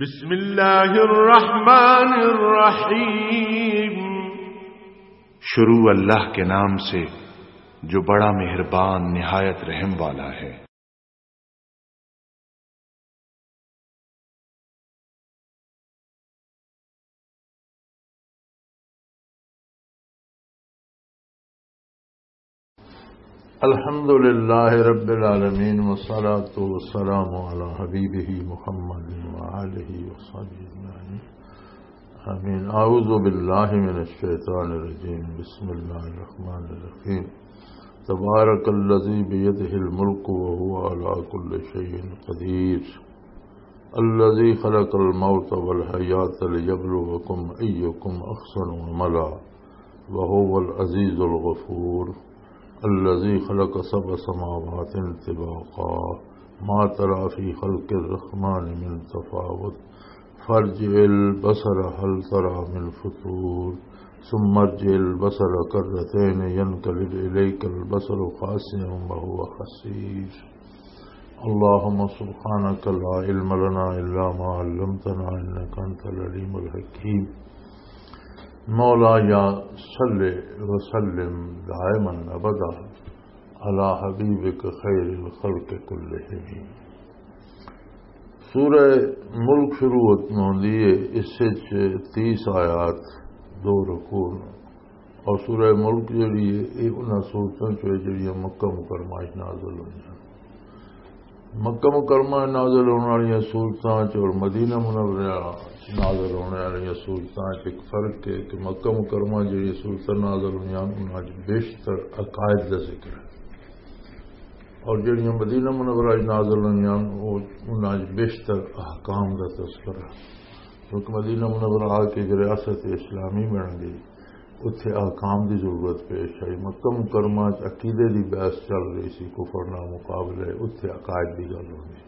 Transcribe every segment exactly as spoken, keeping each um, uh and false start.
بسم اللہ الرحمن الرحیم۔ شروع اللہ کے نام سے جو بڑا مہربان نہایت رحم والا ہے۔ الحمد لله رب العالمين، والصلاة والسلام على حبيبه محمد وآله وصحبه أجمعين. آمين. أعوذ بالله من الشيطان الرجيم. بسم الله الرحمن الرحيم. تبارك الذي بيده الملك وهو على كل شيء قدير. الذي خلق الموت والحياة ليبلوكم أيكم أحسن عملا وهو العزيز الغفور. الذي خلق سبع سماوات طباقا ما ترى في خلق الرحمن من تفاوت فارجع البصر هل ترى من فطور ثم ارجع البصر كرتين ينقلب إليك البصر خاسئا وهو حسير. اللهم سبحانك لا علم لنا إلا ما علمتنا إنك أنت العليم الحكيم. مولاي صل وسلم دائما أبدا على حبيبك خير الخلق كلهم. سورہ ملک شروع ہوندی ہے، اس وچ تیس آیات، دو رکوع، اور سورہ ملک جڑی ہے، یہ انہاں سورتاں چوں ہے جڑیاں مکہ مکرمہ وچ نازل ہوئیاں۔ مکہ مکرمہ وچ نازل ہونے والیاں سورتاں چ اور مدینہ منورہ وچ نازل ہونے والیاں سورتاں چ ایک فرق ہے کہ مکہ مکرمہ جڑیاں سورتاں نازل ہوئیاں، انہاں چ بیشتر عقائد دا ذکر ہے، اور جڑیاں مدینہ منورہ وچ نازل ہوئیاں، وہ انہاں چ بیشتر احکام دا تذکرہ ہے۔ کیونکہ مدینہ منورہ آ کے ایک ریاست اسلامی بن گئی، اتھے احکام دی ضرورت پیش آئی۔ مکہ مکرمہ چ عقیدے دی بحث چل رہی سی، کفر نال مقابلے، اتھے عقائد دی گل ہونی۔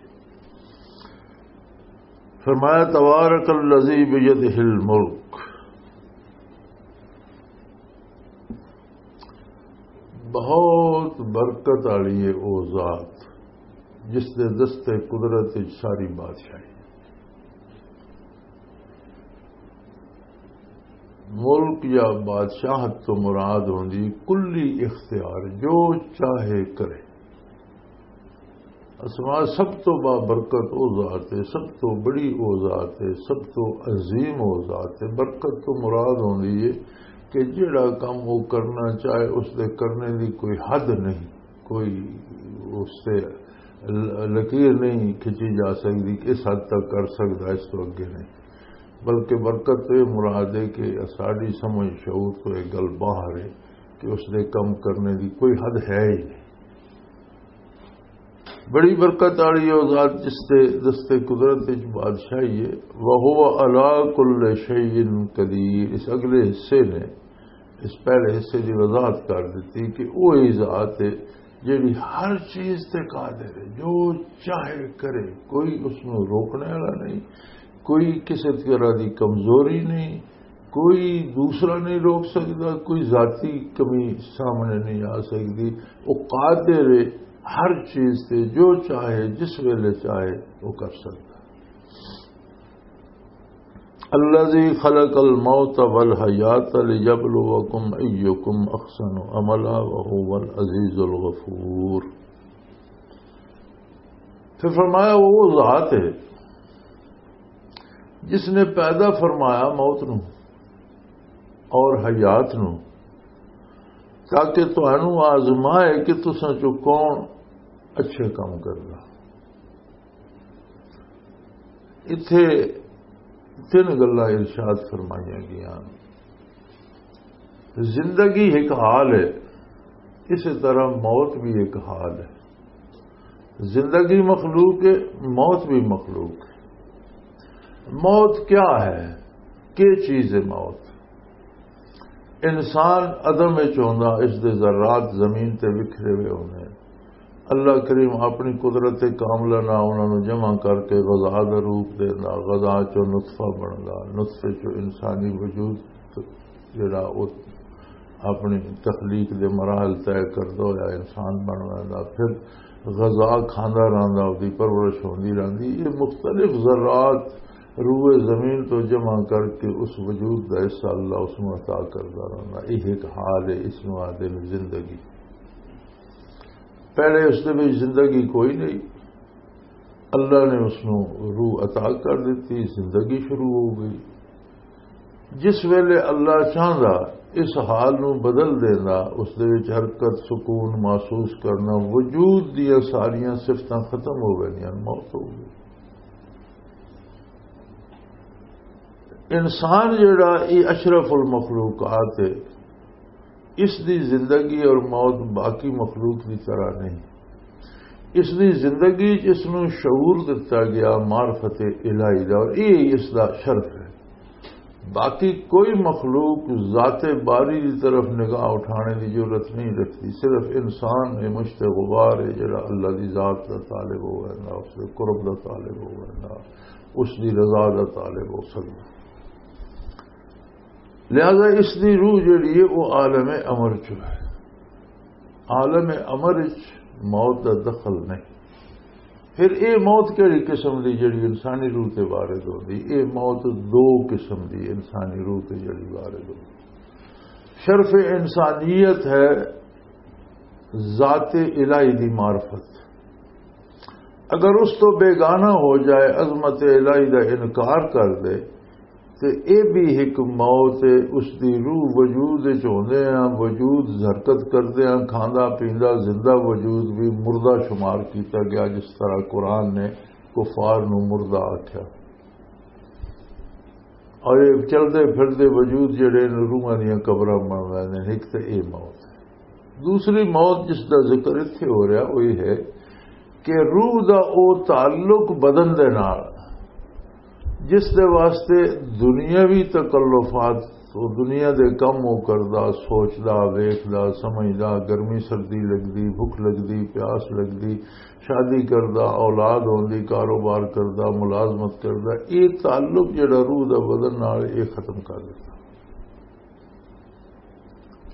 فرمایا، تبارک الذی بیدہ الملک، بہت برکت والی ہے او ذات جس دے دستے قدرت وچ ساری بادشاہی۔ ملک یا بادشاہت تو مراد ہوندی کلی اختیار، جو چاہے کرے۔ اسما سب تو بابرکت او ذات ہے، سب تو بڑی او ذات ہے، سب تو عظیم او ذات ہے۔ برکت تو مراد ہوندی ہے کہ جڑا کم وہ کرنا چاہے، اس دے کرنے دی کوئی حد نہیں، کوئی اس سے ل-، لکیر نہیں کھچی جا سکتی کہ اس حد تک کر سکتا، اس تو اگے نہیں۔ بلکہ برکت تو یہ مراد ہے کہ ساری سمجھ شعور تو ایک گل باہر ہے کہ اس دے کم کرنے دی کوئی حد ہے ہی نہیں۔ بڑی برکت والی او ذات جس تے دستے قدرت وچ بادشاہی ہے۔ وَهُوَ عَلَى كُلِّ شَيْءٍ قَدِيرٌ۔ اس اگلے حصے نے، اس پہلے حصے دی وضاحت کر دتی کہ وہی ذات ہے جڑی ہر چیز تے قادر ہے، جو چاہے کرے، کوئی اس نوں روکنے والا نہیں، کوئی کسی طرح دی کمزوری نہیں، کوئی دوسرا نہیں روک سکتا، کوئی ذاتی کمی سامنے نہیں آ سکتی۔ وہ قادر ہے، ہر چیز تے جو چاہے، جس ویلے چاہے، وہ کر سکتا۔ الذي خلق الموت والحياة ليبلوكم أيكم أحسن عملا وهو العزيز الغفور۔ پھر فرمایا، وہ ذات ہے جس نے پیدا فرمایا موت نو اور حیات نو، تاکہ تانوں آزمائے کہ تساں چوں کون اچھے کام کردا۔ اتھے تین گلاں ارشاد فرمائیاں گئیاں۔ زندگی ایک حال ہے، اسی طرح موت بھی ایک حال ہے۔ زندگی مخلوق ہے، موت بھی مخلوق ہے۔ موت کیا ہے؟ کیا چیز ہے موت؟ انسان عدم وچ ہوندا، اس دے ذرات زمین تے بکھرے ہوئے ہوندے۔ اللہ کریم اپنی قدرت کاملہ نال انہاں نوں جمع کر کے غذا دا روپ دیندا، غذا چوں نطفہ بندا، نطفے چوں انسانی وجود جڑا او اپنی تخلیق دے مراحل طے کردا ہویا انسان بن ویندا، پھر غذا کھاندا رہندا، اودی پرورش ہوندی رہندی۔ یہ مختلف ذرات روئے زمین تو جمع کر کے اس وجود کا حصہ اللہ اس میں عطا کرتا رہنا۔ یہ ایک حال ہے، اس میں آتے ہیں زندگی۔ پہلے اس دے وچ زندگی کوئی نہیں، اللہ نے اس نوں روح عطا کر دیتی، زندگی شروع ہو گئی۔ جس ویلے اللہ چاہندا اس حال نوں بدل دیندا، اس دے وچ حرکت، سکون محسوس کرنا، وجود دیاں ساریاں صفتاں ختم ہو گئیاں، موت ہو گئی۔ انسان جڑا یہ اشرف المخلوقات ہے، اس دی زندگی اور موت باقی مخلوق دی طرح نہیں۔ اس دی زندگی چ اس نوں شعور دتا گیا معرفت الہی دا، اور یہ اس دا شرف ہے۔ باقی کوئی مخلوق ذات باری دی طرف نگاہ اٹھانے دی ضرورت نہیں رکھتی۔ صرف انسان یہ مشت غبار ہے جڑا اللہ دی ذات دا طالب ہو ویندا، اس دے قرب دا طالب ہو ویندا، اس دی رضا دا طالب ہو سکدا۔ لہذا اس دی روح جڑی ہے، وہ عالم امر چ ہے۔ عالم امر چ موت دا دخل نہیں۔ پھر اے موت کیڑی قسم دی جڑی انسانی روح تے وارد ہوندی؟ اے موت دو قسم دی انسانی روح تے جڑی وارد ہوندی۔ شرف انسانیت ہے ذات الہی دی معرفت۔ اگر اس تو بیگانہ ہو جائے، عظمت الہی دا انکار کر دے، تے اے بھی ایک موت ہے۔ اس دی روح وجود وچ ہوندے ہاں، وجود حرکت کردے ہاں، کھاندا پیندا زندہ وجود بھی مردہ شمار کیتا گیا، جس طرح قرآن نے کفار نو مردہ آکھیا۔ اور یہ چلدے پھردے وجود جڑے نے، روحاں دیاں قبراں بن رہے نے، ایک تے اے موت ہے۔ دوسری موت جس دا ذکر اتھے ہو رہا، وہ یہ ہے کہ روح دا او تعلق بدن دے نال، جس دے واسطے دنیاوی تکلفات، او دنیا دے کم او کردا، سوچدا، ویکھدا، سمجھدا، گرمی سردی لگدی، بھکھ لگدی، پیاس لگدی، شادی کردا، اولاد ہوندی، کاروبار کردا، ملازمت کردا، اے تعلق جڑا روح دا بدن نال، اے ختم کر دیتا۔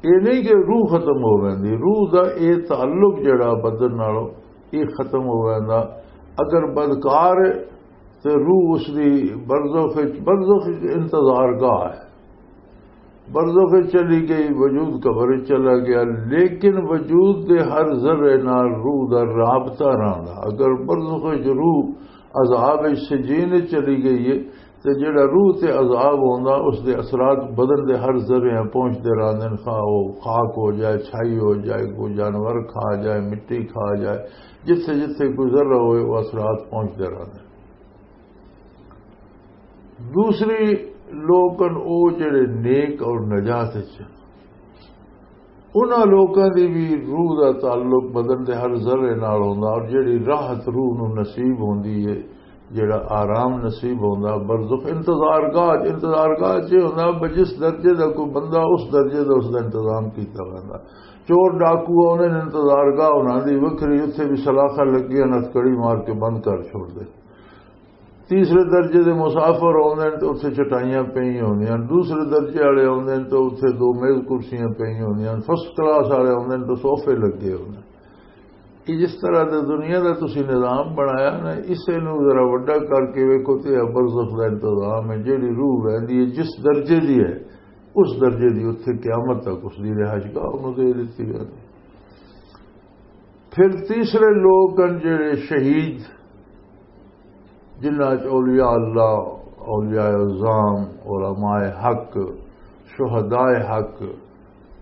اے نہیں کہ روح ختم ہو ویندی، روح دا اے تعلق جڑا بدن نال، اے ختم ہو ویندا۔ اگر بدکار ہے تے روح اس دی برزخ وچ، برزخ وچ انتظار گاہ ہے، برزخ وچ چلی گئی، وجود قبر وچ چلا گیا، لیکن وجود دے ہر ذرے نال روح دا رابطہ رہندا۔ اگر برزخ وچ روح عذاب وچ سجین وچ چلی گئی ہے، تے جڑا روح تے عذاب ہوندا، اس دے اثرات بدن دے ہر ذرے پہنچدے رہندے نے، خواہ او خاک ہو جائے، چھائی ہو جائے، کوئی جانور کھا جائے، مٹی کھا جائے، جتھے جتھے کوئی ذرہ ہوئے، وہ اثرات پہنچدے رہندے نے۔ دوسری لوک ہن، او جڑے نیک اور نجات وچ ہن، انہاں لوکاں دی بھی روح دا تعلق بدن دے ہر ذرے نال ہوندا، اور جڑی راحت روح نوں نصیب ہوندی ہے، جڑا آرام نصیب ہوندا، برزخ انتظار گاہ، انتظار گاہ چ ہوندا، بس جس درجے دا کوئی بندہ، اس درجے دا اس دا انتظام کیتا ویندا۔ چور ڈاکو آوندے نے، انتظار گاہ انہاں دی وکھری، اتھے بھی سلاخاں لگیاں، نت کڑی مار کے بند کر چھوڑ دے۔ تیسرے درجے دے مسافر آوندے نے تے اتھے چٹائیاں پئیاں ہوندیاں، دوسرے درجے والے آوندے نے تے اتھے دو میز کرسیاں پئیاں ہوندیاں، فرسٹ کلاس والے آوندے نے تے صوفے لگے ہوندے نے۔ کہ جس طرح دے دنیا دا تسی نظام بنایا نا، اسے نو ذرا وڈا کر کے ویکھو تے اے برزخ دا انتظام ہے۔ جیڑی روح ویندی ہے جس درجے دی ہے، اس درجے دی اتھے قیامت تک اس دی رہائش گاہ انہوں دے دتی ویندی۔ پھر تیسرے لوگ ہن جڑے شہید، جنہاں چ اولیاء اللہ، اولیاء عظام، علماء حق، شہداء حق،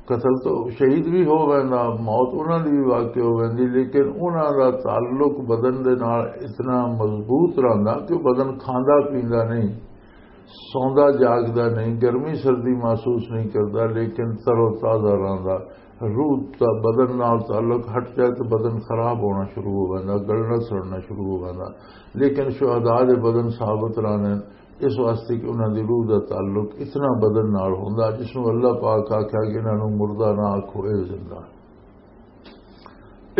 قتل تو شہید بھی ہو ویندا، موت انہاں دی بھی واقع ہو ویندی، لیکن انہاں دا تعلق بدن دے نال اتنا مضبوط رہندا کہ بدن کھاندا پیندا نہیں، سوندا جاگدا نہیں، گرمی سردی محسوس نہیں کردا، لیکن تر و تازہ رہندا۔ روح دا بدن نال تعلق ہٹ جائے تو بدن خراب ہونا شروع ہو ویندا، گلنا سڑنا شروع ہو ویندا۔ لیکن شہداء دے بدن ثابت رہندے، اس واسطے کہ انہاں دی روح دا تعلق اتنا بدن نال ہوندا، جس نوں اللہ پاک آکھیا کہ انہاں نوں مردہ نہ آکھو، اے زندہ۔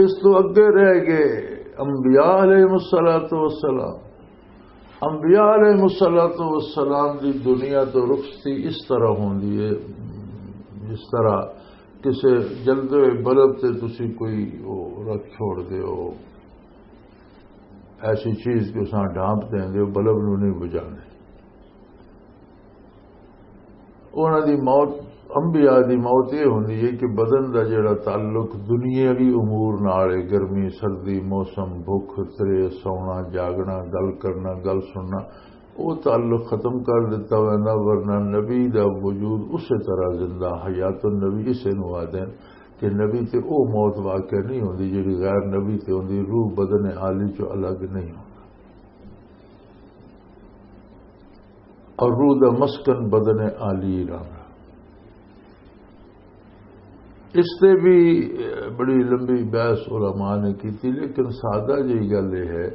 اس تو اگے رہ گئے انبیاء علیہ الصلوۃ والسلام۔ انبیاء علیہ الصلوۃ والسلام دی دنیا تو رخصتی اس طرح ہوندی ہے، جس طرح کسے جلدے ہوئے بلب تے تسی کوئی او رکھ چھوڑ دے ہو، ایسی چیز کہ اساں ڈھانپ دیں دے ہو، بلب نو نہیں بجھانے۔ انہاں دی موت، انبیاء دی موت یہ ہوندی ہے کہ بدن دا جڑا تعلق دنیاوی امور نال ہے، گرمی، سردی، موسم، بھوک، ترے، سونا، جاگنا، گل کرنا، گل سننا، وہ تعلق ختم کر دیتا ویندا، ورنہ نبی دا وجود اسی طرح زندہ، حیات النبی اسے نو آدھے کہ نبی تے او موت واقع نہیں ہوندی جڑی غیر نبی تے ہوندی، روح بدن عالی چوں الگ نہیں ہوندا۔ اور روح دا مسکن بدن عالی رہندا۔ اس تے بھی بڑی لمبی بحث علماء نے کی تھی، لیکن سادہ جی گل یہ ہے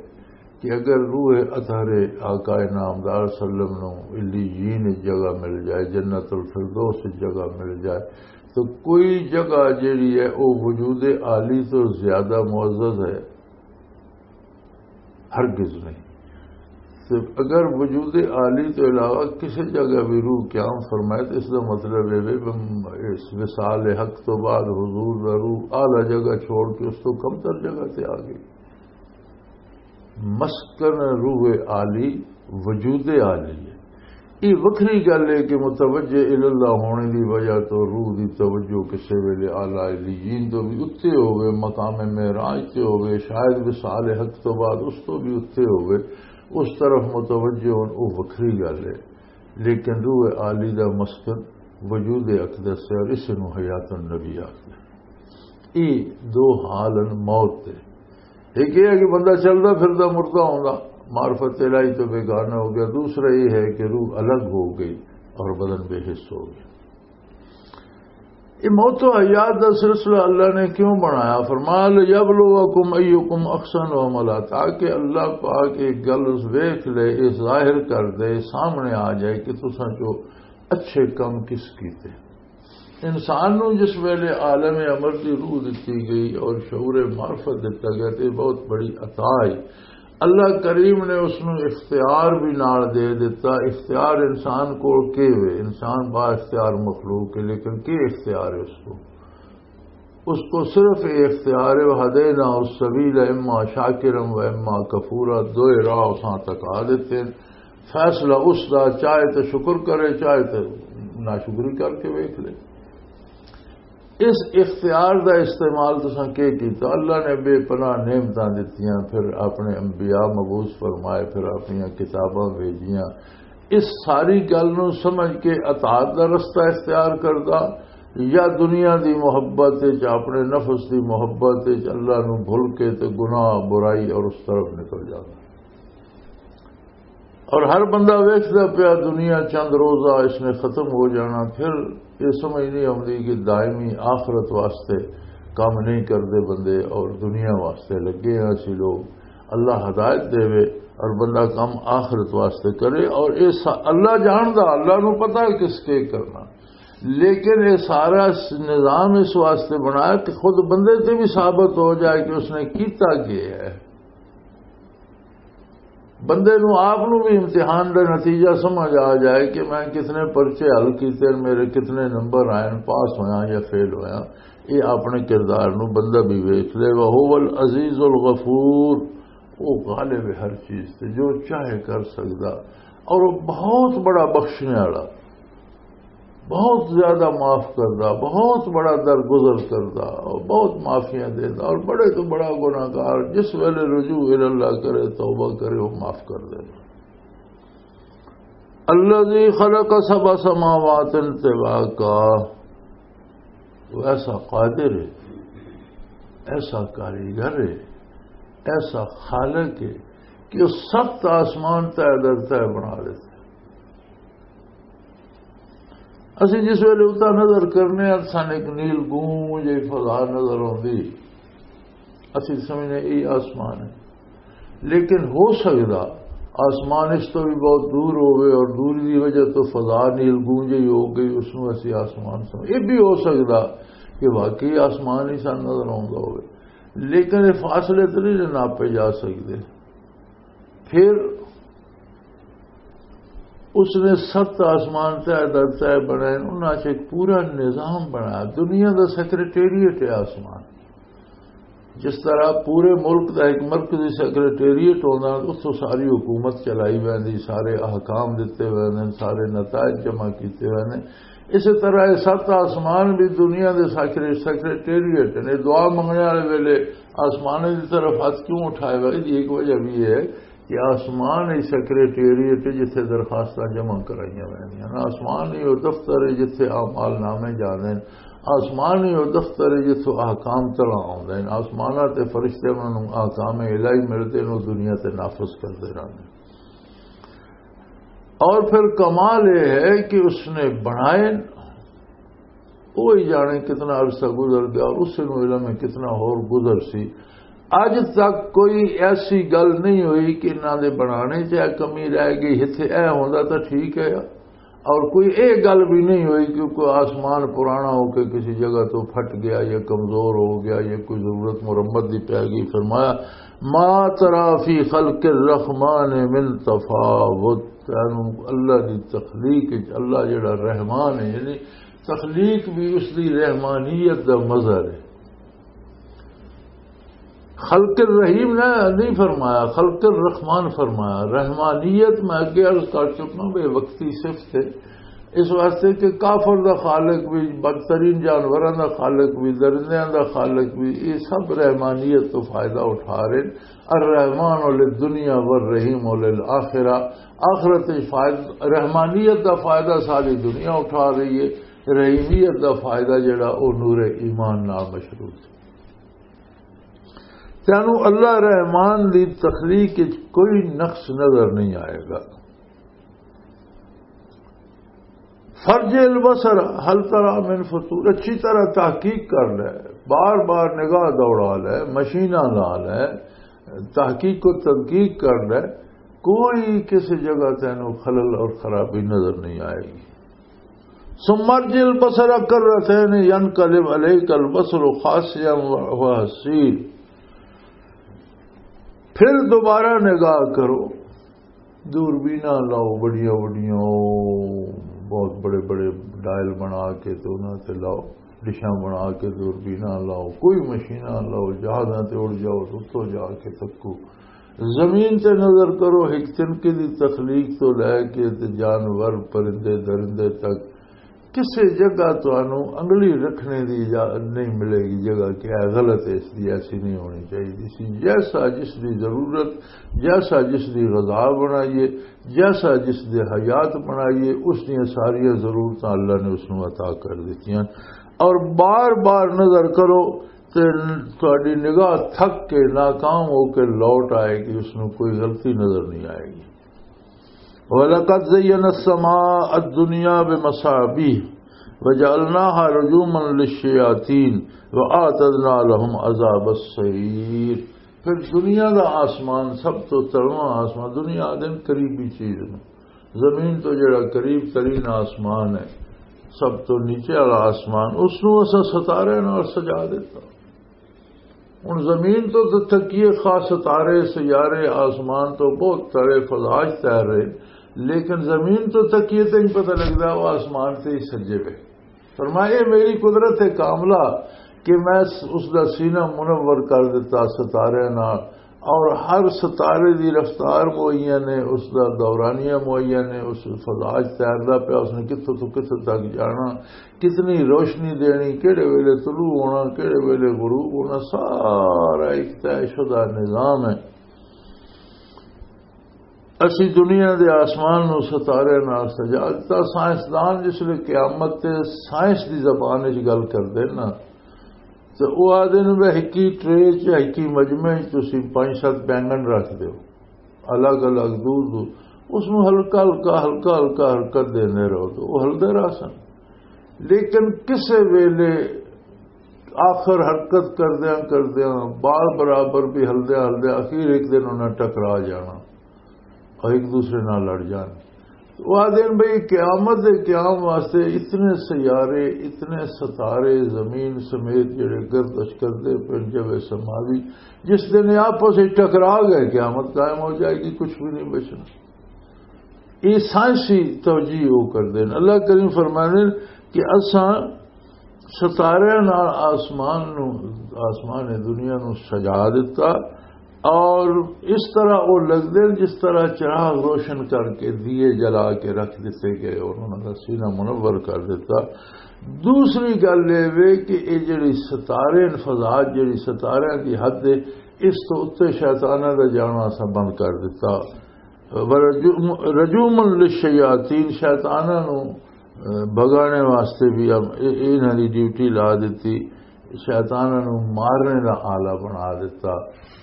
کہ اگر روح اطہر آقا نامدار صلی اللہ علیہ وسلم نو علیین جگہ مل جائے، جنت الفردوس جگہ مل جائے، تو کوئی جگہ جیڑی ہے وہ وجود عالی تو زیادہ معزز ہے؟ ہرگز نہیں۔ تو اگر وجود عالی تو علاوہ کسی جگہ بھی روح قیام فرمائے تو اس کا مطلب یہ ہے کہ اس وصال حق تو بعد حضور دا روح اعلیٰ جگہ چھوڑ کے اس تو کمتر جگہ تے آ گئی۔ مسکن روح عالی وجود عالی ہے۔ یہ وکھری گل ہے کہ متوجہ الی اللہ ہونے دی وجہ تو روح دی توجہ کسے ویلے اعلیٰ علیین تو بھی اتے ہوئے، مقام معراج تے ہوئے، شاید وصال حق تو بعد اس تو بھی اتے ہوئے، اس طرف متوجہ ہون، وہ وکھری گل ہے۔ لیکن روح عالی دا مسکن وجود اقدس ہے اور اس نو حیات النبی آخر۔ یہ دو حال ہیں موت دے۔ ایک یہ ہے کہ بندہ چلدا پھردا مردہ ہوندا، معرفت الہی تو بیگانہ ہو گیا۔ دوسرا یہ ہے کہ روح الگ ہو گئی اور بدن بے حس ہو گیا۔ یہ موت و حیات دا سلسلہ اللہ نے کیوں بنایا؟ فرمایا، "لیبلوکم ایکم احسن عملا"، تاکہ اللہ پاک ایک گل اس ویکھ لے، اس ظاہر کر دے، سامنے آ جائے کہ تساں چو اچھے کم کس کیتے۔ انسان نو جس ویلے عالم امر دی روح دتی گئی اور شعور معرفت دتا گیا، تے بہت بڑی عطا ہے۔ اللہ کریم نے اس نو اختیار بھی نال دے دتا۔ اختیار انسان کول کی ہوئے؟ انسان با اختیار مخلوق ہے، لیکن کی اختیار ہے اس کو؟ اس کو صرف یہ اختیار ہے، "وہدینا السبیل اما شاکرا و اما کفورا"، دو راہ اساں تک آ دیتے ہیں۔ فیصلہ اس دا، چاہے تے شکر کرے، چاہے تے ناشکری کر کے ویکھ لے۔ اس اختیار دا استعمال تساں کی کیتا؟ اللہ نے بے پناہ نعمتاں دتیاں، پھر اپنے انبیاء مبعوث فرمائے، پھر اپنی کتاباں بھیجیاں۔ اس ساری گل نوں سمجھ کے اطاعت دا رستہ اختیار کردا، یا دنیا دی محبت وچ، اپنے نفس دی محبت وچ اللہ نوں بھل کے تے گناہ، برائی اور اس طرف نکل جاندا۔ اور ہر بندہ ویکھدا پیا، دنیا چند روزہ اس نے ختم ہو جانا، پھر یہ سمجھ نہیں آتی کہ دائمی آخرت واسطے کام نہیں کردے بندے اور دنیا واسطے لگے ہیں اسی لوگ۔ اللہ ہدایت دے اور بندہ کام آخرت واسطے کرے، اور یہ سا-، اللہ جاندا، اللہ نو پتہ ہے کس کے کرنا، لیکن یہ سارا س-، نظام اس واسطے بنایا کہ خود بندے تے بھی ثابت ہو جائے کہ اس نے کیتا کیا ہے۔ بندے نو آپ نو بھی امتحان دا نتیجہ سمجھ آ جائے کہ میں کتنے پرچے حل کیتے ہیں، میرے کتنے نمبر آئے ہیں، پاس ہویا یا فیل ہویا۔ یہ اپنے کردار نو بندہ بھی ویکھ لے۔ وَهُوَ الْعَزِيزُ الْغَفُورُ، وہ غالب ہے ہر چیز تے، جو چاہے کر سکدا، اور وہ بہت بڑا بخشنے والا، بہت زیادہ معاف کردا، بہت بڑا درگزر کردا، اور بہت معافیاں دیندا، اور بڑے تو بڑا گناہگار جس ویلے رجوع الی اللہ کرے، توبہ کرے، وہ معاف کر دیندا۔ الذي خلق سبع سماوات طباقا، وہ ایسا قادر ہے، ایسا کاریگر ہے، ایسا خالق ہے کہ وہ ست آسمان طے در طے بنا لیتے۔ اسی جس ویلے اتنا نظر کرنے ہیں، سان ایک نیل گونج جی فضا نظر آتی، اسی سمجھنے یہ آسمان ہے۔ لیکن ہو سکدا آسمان اس تو بھی بہت دور ہوئے اور دوری دی وجہ تو فضا نیل گونج ہی ہو گئی، اس نو اسی آسمان سمجھ۔ یہ بھی ہو سکدا کہ واقعی آسمان ہی سان نظر آتا ہوئے، لیکن یہ فاصلے تو نہیں ناپے جا سکتے۔ پھر اس نے ست آسمان طے در طے بنائے، انہاں چ ایک پورا نظام بنایا۔ دنیا دا سیکرٹریٹ ہے آسمان۔ جس طرح پورے ملک دا ایک مرکزی سیکرٹریٹ ہوندا، اس تو ساری حکومت چلائی ویندی، سارے احکام دتے ویندے، سارے نتائج جمع کیتے ویندے۔ اسی طرح یہ ست آسمان بھی دنیا دے سیکرے-، سیکرٹریٹ نے۔ دعا منگنے والے ویلے آسمان دی طرف ہاتھ کیوں اٹھائے گا؟ اس دی ایک وجہ بھی ہے کہ آسمان ہی سیکرٹریٹ ہے جتھے درخواستاں جمع کرائیاں ویندیاں نے۔ آسمان ہی وہ دفتر ہے جتھے اعمال نامے جاندے نے۔ آسمان ہی وہ دفتر ہے جتھوں احکام تلا آوندے نے۔ آسماناں تے فرشتے انہاں نوں احکام الہی ملدے نے، وہ دنیا تے نافذ کردے رہندے نے۔ اور پھر کمال یہ ہے کہ اس نے بنائے، وہی جانے کتنا عرصہ گزر گیا اور اس نوں علم ہے کتنا ہور گزر سی۔ اج تک کوئی ایسی گل نہیں ہوئی کہ انہاں دے بنانے چ اے کمی رہ گئی، اتھے اے ہوندا تاں ٹھیک ہے۔ اور کوئی اے گل بھی نہیں ہوئی کہ کوئی آسمان پرانا ہو کے کسی جگہ تو پھٹ گیا یا کمزور ہو گیا یا کوئی ضرورت مرمت دی پی گئی۔ فرمایا، ما ترا فی خلق الرحمن من تفاوت۔ تینوں اللہ دی تخلیق وچ، اللہ جڑا رحمان ہے، یعنی تخلیق بھی اس دی رحمانیت دا مظہر ہے۔ خلق الرحیم نہ نہیں فرمایا، خلق الرحمان فرمایا۔ رحمانیت میں اگے عرض کر چکا، بے وقتی صفت ہے۔ اس واسطے کہ کافر دا خالق بھی، بدترین جانوراں دا خالق بھی، درندیاں دا خالق بھی، یہ سب رحمانیت تو فائدہ اٹھا رہے ہیں۔ الرحمن للدنیا والرحیم للآخرہ۔ آخرت وچ فائد-، رحمانیت دا فائدہ ساری دنیا اٹھا رہی ہے، رحیمیت دا فائدہ جڑا، او نور ایمان نال مشروط ہے۔ تینوں اللہ رحمان دی تخلیق وچ کوئی نقص نظر نہیں آئے گا۔ فرج البصر هل ترى من فطور، اچھی طرح تحقیق کر لے، بار بار نگاہ دوڑا لے، مشیناں لا لے، تحقیق و تدقیق کر لے، کوئی کسی جگہ تینوں خلل اور خرابی نظر نہیں آئے گی۔ ثم ارجع البصر كرتين ينقلب إليك البصر خاسئا وهو حسير۔ پھر دوبارہ نگاہ کرو، دوربیناں لاؤ بڑیاں بڑیاں، بہت بڑے بڑے ڈائل بنا کے تے انہاں تے لاؤ، ڈشاں بنا کے دوربیناں لاؤ، کوئی مشیناں لاؤ، جہازاں تے اڑ جاؤ، اتوں جا کے تکو۔ زمین تے نظر کرو، ایک تنکے دی تخلیق تو لے کے تے جانور، پرندے، درندے تک، کسے جگہ تانوں انگلی رکھنے دی اجازت نہیں ملے گی، جگہ کہ اے غلط ہے، اس دی ایسی نہیں ہونی چاہیے سی۔ جیسا جس دی ضرورت، جیسا جس دی غذا بنائیے، جیسا جس دے حیات بنائیے، اس دیاں ساریاں ضرورتاں اللہ نے اس نوں عطا کر دتیاں۔ اور بار بار نظر کرو تے تہاڈی نگاہ تھک کے، ناکام ہو کے لوٹ آئے گی، اس نوں کوئی غلطی نظر نہیں آئے گی۔ وَلَقَدْ زَيَّنَّا السَّمَاءَ الدُّنْيَا بِمَصَابِيحَ وَجَعَلْنَاهَا رُجُومًا لِلشَّيَاطِينِ وَأَعْتَدْنَا لَهُمْ عَذَابَ السَّعِيرِ۔ پھر دنیا دا آسمان، سب تو تلواں آسمان، دنیا دے قریبی چیز نوں، زمین تو جڑا قریب ترین آسمان ہے، سب تو نیچے والا آسمان، اس نوں اساں ستارے نال سجا دیتا۔ ہن زمین تو تے تکیے، خاص ستارے، سیارے، آسمان تو بہت سارے فضا چ تیر رہے، لیکن زمین تو تکیے تے نہیں پتہ لگدا، وہ آسمان تے ہی سجے وے۔ فرمایا، "اے میری قدرت کاملہ کہ میں اس دا سینہ منور کر دیتا ستارے نال، اور ہر ستارے دی رفتار معین ہے، اس دا دورانیہ معین ہے، اس فضا چ تیردا پیا، اس نے کتھوں تو کتھوں تک جانا، کتنی روشنی دینی، کہڑے ویلے طلوع ہونا، کہڑے ویلے غروب ہونا، سارا ایک طے شدہ نظام ہے۔" اسی دنیا دے آسمان نو ستارے نال سجا دتا۔ سائنسدان جس لے قیامت تے سائنس دی زبان وچ گل کردے نا، تے او آدھے نے، "وے ہکی ٹرے چ، ہکی مجمع چ تسی پنج ست بینگن رکھ دیو، الگ الگ، دور دور، اس نو ہلکا ہلکا، ہلکا ہلکا حرکت دیندے رہو، تے او ہلدے رہسن۔" لیکن کسے ویلے آخر حرکت کردیاں کردیاں، بال برابر بھی ہلدیاں ہلدیاں، اخیر ایک دن انہاں ٹکرا جانا اور ایک دوسرے نال لڑ جان۔ تو وہ آدھے ہیں، بھئی، قیامت دے قیام واسطے اتنے سیارے، اتنے ستارے، زمین سمیت جڑے گردش کردے پن، جو سماوی، جس دن یہ آپس وچ ٹکرا گئے، قیامت قائم ہو جائے گی، کچھ بھی نہیں بچنا۔ یہ سائنسی توجیہ وہ کردے ہیں۔ اللہ کریم فرماندے ہیں کہ اساں ستارے نال آسمان نو، آسمان دنیا نو سجا دتا، اور اس طرح وہ لگدے جس طرح چراغ روشن کر کے، دیے جلا کے رکھ دیتے گئے اور انہاں دا سینہ منور کر دیتا۔ دوسری گل یہ وے کہ یہ جڑی ستارے انفذات، جڑی ستارے دی حد ہے، اس تو اُتے شیطاناں دا جانا اساں بند کر دیتا۔ ورجوم، رجوماً للشیاطین، شیطاناں نوں، اے، بھگانے واسطے بھی ہم، اے، اے انہاں دی ڈیوٹی لا دتی، شیطاناں نوں مارنے دا آلہ بنا دتا۔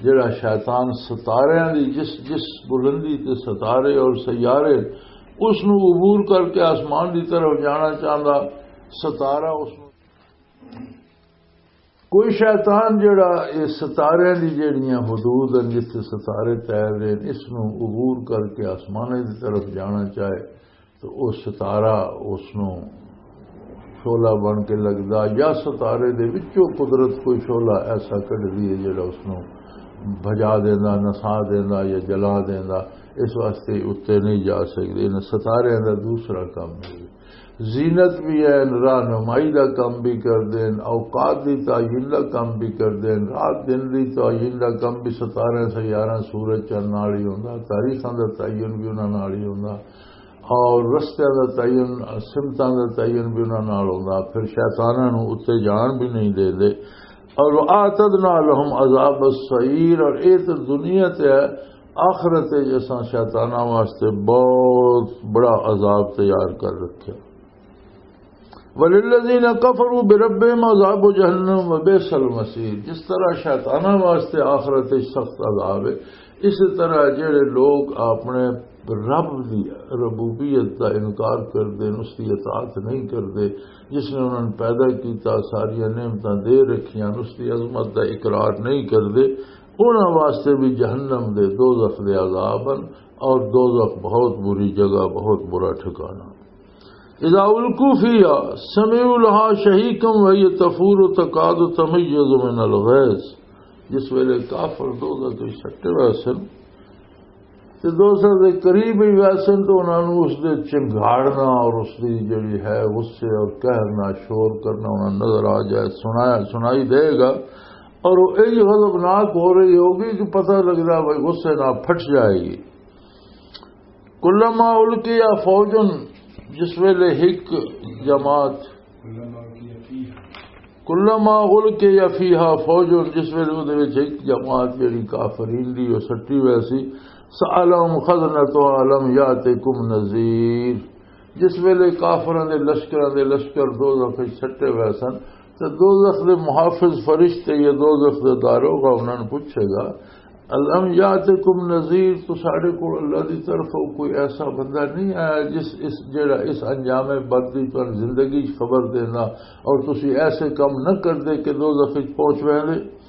جڑا شیطان ستاریاں دی جس، جس بلندی تے ستارے اور سیارے، اس نوں عبور کر کے آسمان دی طرف جانا چاہندا، ستارہ اس نوں کوئی شیطان جڑا اے ستاریاں دی جڑیاں حدود ہیں، جس تے ستارے تیر رہے ہیں، اس نوں عبور کر کے آسمانے دی طرف جانا چاہے، تو او ستارہ اس نوں شعلہ بن کے لگدا، یا ستارے دے وچوں قدرت کوئی شعلہ ایسا کڈدی ہے جڑا اس نوں بھجا دیندا، نسا دیندا یا جلا دیندا۔ اس واسطے اُتے نہیں جا سکدے۔ انہاں ستاریاں دا دوسرا کم ہے، زینت بھی ہے، رہنمائی دا کم بھی کردے ہیں، اوقات دی تعین دا کم بھی کردے ہیں، رات دن دی تعین دا کم بھی، ستارے، سیاراں، سورج، چند نال ہی ہوندا، تاریخاں دا تعین بھی انہاں نال ہی ہوندا، اور رستیاں دا تعین، سمتاں دا تعین بھی انہاں نال ہوندا۔ پھر شیطاناں نوں اُتے جان بھی نہیں دے دے۔ اور اعتدنا لهم عذاب السعیر، اور اے تے دنیا تے ہے، آخرت وچ اساں شیطاناں واسطے بہت بڑا عذاب تیار کر رکھیا۔ وللذین کفروا بربهم عذاب جہنم وبئس المصیر۔ جس طرح شیطاناں واسطے آخرت وچ سخت عذاب ہے، اسی طرح جڑے لوگ اپنے رب دی ربوبیت دا انکار کردے، اس دی اطاعت نہیں کردے، جس نے انہاں نوں پیدا کیتا، ساریاں نعمتاں دے رکھیاں، اس دی عظمت دا اقرار نہیں کردے، انہاں واسطے بھی جہنم دے، دوزخ دے عذاب ہن، اور دوزخ بہت بری جگہ، بہت برا ٹھکانہ۔ اذا القوا فیہا سمعوا لہا شہیقا وہی تفور تکاد تمیز من الغیظ۔ جس ویلے کافر دوزخ وچ سٹے ہوئے سن، تے دوزخ دے قریب ہی ویسن تو انہاں نوں اس دے چنگھاڑنا اور اس دی جڑی ہے غصے اور قہر نال شور کرنا انہاں نظر آ جائے، سنایا، سنائی دے گا، اور وہ انج غضبناک ہو رہی ہوگی کہ پتہ لگدا بھائی غصے نال پھٹ جائے گی۔ کلما القی فوجن، جس ویلے ایک جماعت، کلما القی فیہا فوجن، جس ویلے اودے وچ ایک جماعت جڑی کافرین دی او سٹی ہوئی سی، سألہم خزنتہا الم یاتکم نذیر، جس ویلے کافراں دے لشکراں دے لشکر دوزخ وچ سٹے ہوئے سن، تے دوزخ دے محافظ فرشتے یا دوزخ دے داروغہ انہاں نوں پوچھے گا، الم یاتکم نذیر، تو ساڈے کول اللہ دی طرفوں کوئی ایسا بندہ نہیں آیا جس، اس، جڑا اس انجام بد دی تہاں زندگی چ خبر دینا اور تسی ایسے کم نہ کردے کہ دوزخ وچ پہنچ ویندے؟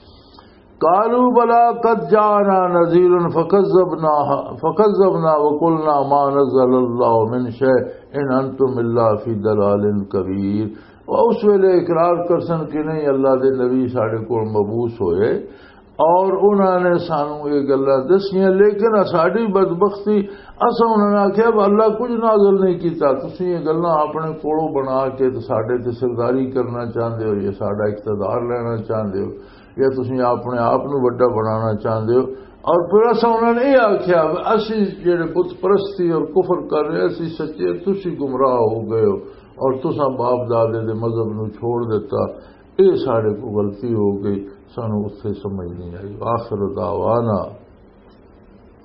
قالوا بلا قد جاءنا نذیر فکذبنا، فکذبنا وقلنا ما نزل اللہ من شیء ان انتم الا فی ضلال کبیر۔ وہ اس ویلے اقرار کرسن کہ نہیں، اللہ دے نبی ساڈے کول مبعوث ہوئے اور انہاں نے سانوں یہ گلاں دسیاں، لیکن ساڈی بدبختی، اساں انہاں نے آکھیا، "اللہ کچھ نازل نہیں کیتا، تسی یہ گلاں اپنے کولوں بنا کے تے ساڈے تے سرداری کرنا چاہندے ہو، یا ساڈا اقتدار لینا چاہندے ہو، یا تسی اپنے آپ نوں وڈا بنانا چاہندے ہو۔" اور پھر اساں انہاں نے یہ آکھیا، "اسی جڑے بت پرستی اور کفر کر رہے، اسی سچے، تسی گمراہ ہو گئے ہو اور تساں باپ دادے دے مذہب نوں چھوڑ دیتا، یہ ساڈے کو غلطی ہو گئی، سانوں اتھے سمجھ نہیں آئی۔" آخر دعوانا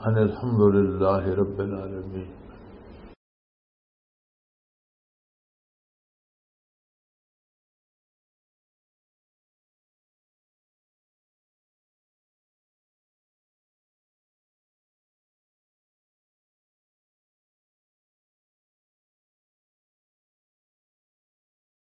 ان الحمد للہ رب العالمین۔